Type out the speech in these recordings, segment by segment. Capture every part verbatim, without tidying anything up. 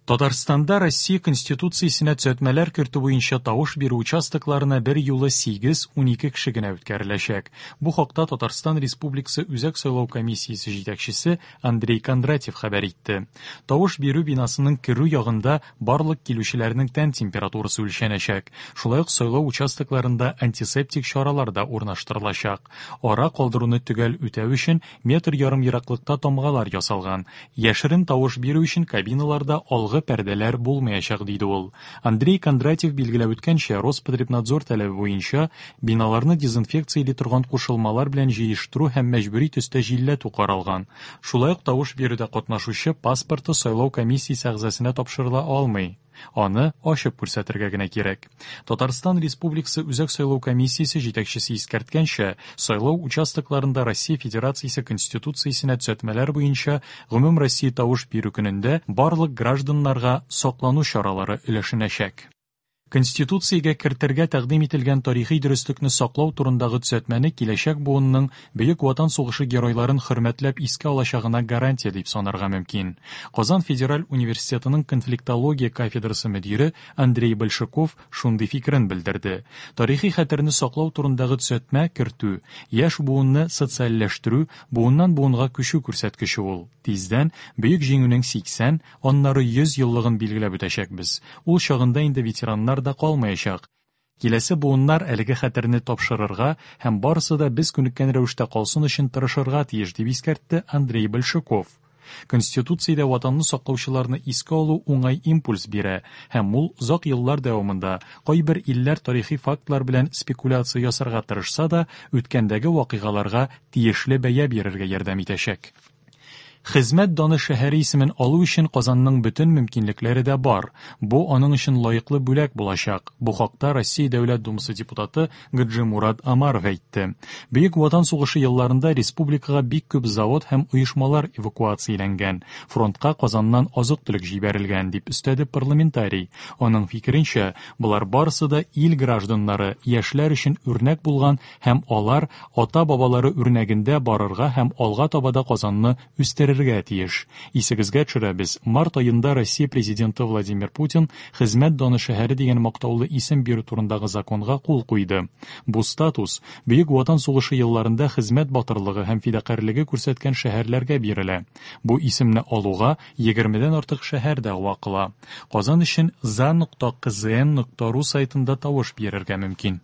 Татарстанда Россия Конституциясенә төзәтмәләр кертү буенча тавыш бирү участокларына бер юлы сигез-унике кеше генә үткәреләчәк. Бу хакта Татарстан Республикасы Үзәк сайлау комиссиясе җитәкчесе Андрей Кондратьев хәбәр итте. Тавыш бирү бинасының керү ягында барлык килүчеләрнең тән температурасы үлчәнәчәк. Шулай ук сайлау участокларында антисептик чаралар да урнаштырылачак. Ара калдыруны төгәл үтәү өчен метр ярым ераклыкта тамгалар ясалган. Яшерен тавыш бирү өчен кабиналарда алгы пәрдәләр булмаячак, диде ул. Андрей Кондратьев билгеләп үткәнчә, Роспотребнадзор таләбе буенча биналарны дезинфекцияли торган кушылмалар белән җыештыру һәм мәҗбүри төстә җилләтү каралган. Шулай ук тавыш бирүдә катнашучы паспорты сайлау комиссиясе әгъзасына тапшырыла алмый. Аны ачып күрсәтергә генә кирәк. Татарстан Республикасы Үзәк сайлау комиссиясе җитәкчесе искәрткәнчә, сайлау участокларында Россия Федерациясе Конституциясенә төзәтмәләр буенча гомумроссия тавыш бирү көнендә барлык гражданнарга саклану чаралары өләшенәчәк. Конституциягә кертергә тәкъдим ителгән тарихи дөреслекне саклау турындагы төзәтмәне киләчәк буынның Бөек Ватан сугышы геройларын хөрмәтләп искә алачагына гарантия дип санарга мөмкин. Казан федераль университетының конфликтология кафедрасы мөдире Андрей Большаков шундый фикерен белдерде. Тарихи хәтерне саклау турындагы төзәтмә кертү, яшь буынны социальләштерү, буыннан буынга күчү күрсәткече ул. Тиздән Бөек Җиңүнең сиксән, аннары йөз еллыгын билгеләп үтәчәкбез. Ул чагында инде ветераннар да калмаячак. Киләсе буыннар әлеге хәтерне тапшырырга һәм барысы да без күнеккән рәвештә калсын өчен тырышырга тиеш, дип искәртте Андрей Большаков. Конституциядә ватанны саклаучыларны искә алу уңай импульс бирә һәм ул озак еллар дәвамында кайбер илләр тарихи фактлар белән спекуляция ясарга тырышса да, үткәндәге вакыйгаларга тиешле бәя бирергә ярдәм итәчәк. Хезмәт даны шәһәре исемен алу өчен Казанның бөтен мөмкинлекләре дә бар. Бу аның өчен лаеклы бүләк булачак. Бу хакта Россия Дәүләт Думасы депутаты Гаджимурад Омаров әйтте. Бөек Ватан сугышы елларында республикага бик күп завод һәм оешмалар эвакуацияләнгән. Фронтка Казаннан азык-төлек җибәрелгән, дип өстәде парламентарий. Аның фикеренчә, болар барысы да ил гражданнары, яшьләр өчен үрнәк булган һәм алар ата-бабалары үрнәгендә барырга һәм алга таба да Казанны үстерергә тиеш. Исегезгә төшерәбез, март аенда Россия президенты Владимир Путин Хезмәт даны шәһәре дигән мактаулы исем бирү турындагы законга кул куйды. Бу статус Бөек Ватан сугышы елларында хезмәт батырлыгы һәм фидакарьлеге күрсәткән шәһәрләргә бирелә. Бу исемне алуга егермедән артык шәһәр дәгъва кыла. Казан өчен за нокта кзн нокта ру сайтында тавыш бирергә мөмкин.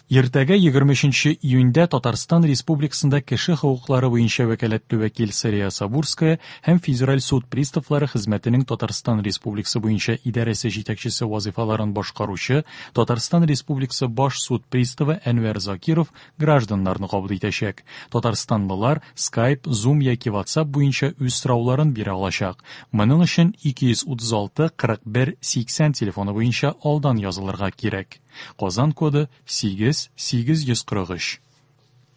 Иртәгә егерме өченче июньдә Татарстан Республикасында кеше хокуклары буенча вәкаләтле вәкил Сәрия Сабурская һәм Федераль суд приставлары хезмәтенең Татарстан Республикасы буенча идарәсе җитәкчесе вазифаларын башкаручы Татарстан Республикасы баш суд приставы Әнвәр Закиров гражданнарны кабул итәчәк. Татарстанлылар Skype, Zoom яки WhatsApp буенча үз сорауларын бирә алачак. Моның өчен ике йөз утыз алты кырык бер сиксән телефоны буенча алдан язылырга кирәк. Казан коды сигез сигез йөз кырык өч.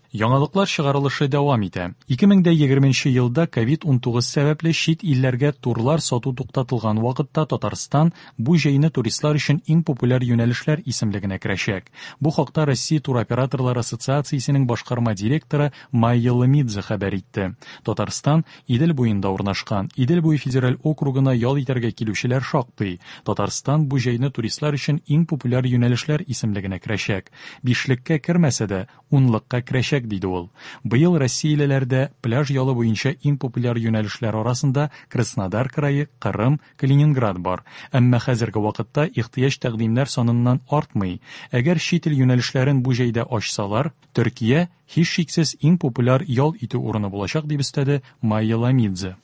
Яңалыклар чыгарылышы дәвам итә. Ике мең дә егерменче елда ковид унтугыз сәбәпле чит илләргә турлар сату туктатылган вакытта Татарстан бу җәйне туристлар өчен иң популяр юнәлешләр исемлегенә керәчәк. Бу хакта Россия туроператорлар ассоциациясенең башкарма директоры Майя Ломидзе хәбәр итте. Татарстан Идел буенда урнашкан. Идел буе федераль округына ял итәргә килүчеләр шактый. Татарстан бу җәйне туристлар өчен иң популяр юнәлешләр исемлегенә керәчәк. Бишлеккә кермәсә дә, унлыкка керәчәк, диде ул. Быел Россиялеләрдә пляж ялы буенча иң популяр юнәлешләр арасында Краснодар крае, Кырым, Калининград бар. Әмма хәзерге вакытта ихтыяҗ тәкъдимнәр саныннан артмый. Әгәр чит ил юнәлешләрен бу җәйдә ачсалар, Төркия һичшиксез иң популяр ял итү урыны булачак, дип өстәде Майя Ломидзе.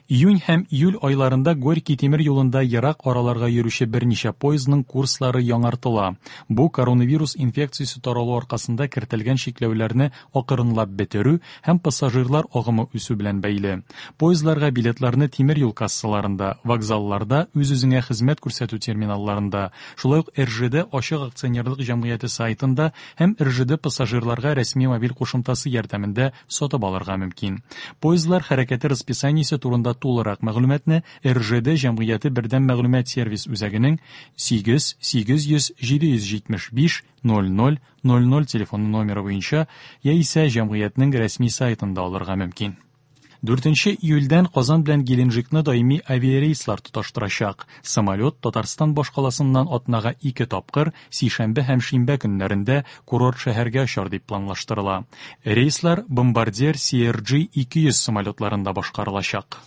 Июнь һәм июль айларында Горький тимер юлында ерак араларга йөрүче берничә поездның курслары яңартыла. Бу коронавирус инфекциясе таралу аркасында кертелгән чикләүләрне акрынлап бетерү һәм пассажирлар агымы үсү белән бәйле. Поездларга билетларны тимер юл кассаларында, вокзалларда, үз-үзеңә хезмәт күрсәтү терминалларында, шулай ук эр жэ дэ ачык акционерлык җәмгыяте сайтында һәм эр жэ дэ пассажирларга рәсми мобиль кушымтасы ярдәмендә сатып алырга мөмкин. Поездлар хәрәкәте расписаниесе турында тулырак мәгълүматны эр жэ дэ җәмгыяте бердәм мәгълүмат сервис үзәгенең сигез сигез йөз җиде йөз җитмеш биш ноль ноль ноль ноль телефоны номеры буенча яисә җәмгыятьнең рәсми сайтында алырга мөмкин. Дүртенче июльдән Казан белән Геленджикны даими авиарейслар тоташтырачак. Самолет Татарстан башкаласыннан атнага ике тапкыр, сишәмбе һәм шимбә көннәрендә курорт шәһәргә очар дип планлаштырыла. Рейслар Bombardier C R J ике йөз самолетларында башкарылачак.